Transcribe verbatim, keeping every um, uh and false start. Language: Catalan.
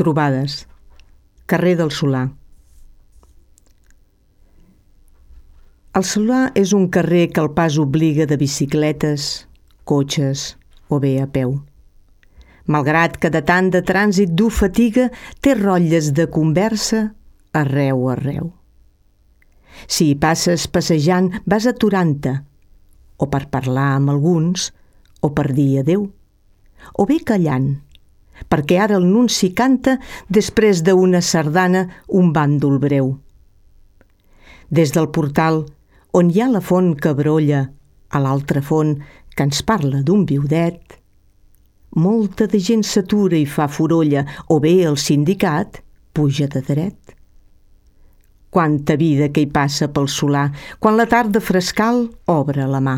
Trobades. Carrer del Solà. El Solà és un carrer que el pas obliga de bicicletes, cotxes o bé a peu. Malgrat que de tant de trànsit dur fatiga, té rotlles de conversa arreu arreu. Si hi passes passejant, vas aturant-te, o per parlar amb alguns, o per dir adeu, o bé callant, perquè ara el nunci canta després d'una sardana un bàndol breu. Des del portal, on hi ha la font que brolla, a l'altra font que ens parla d'un viudet, molta de gent s'atura i fa forolla, o bé el sindicat puja de dret. Quanta vida que hi passa pel Solà, quan la tarda frescal obre la mà.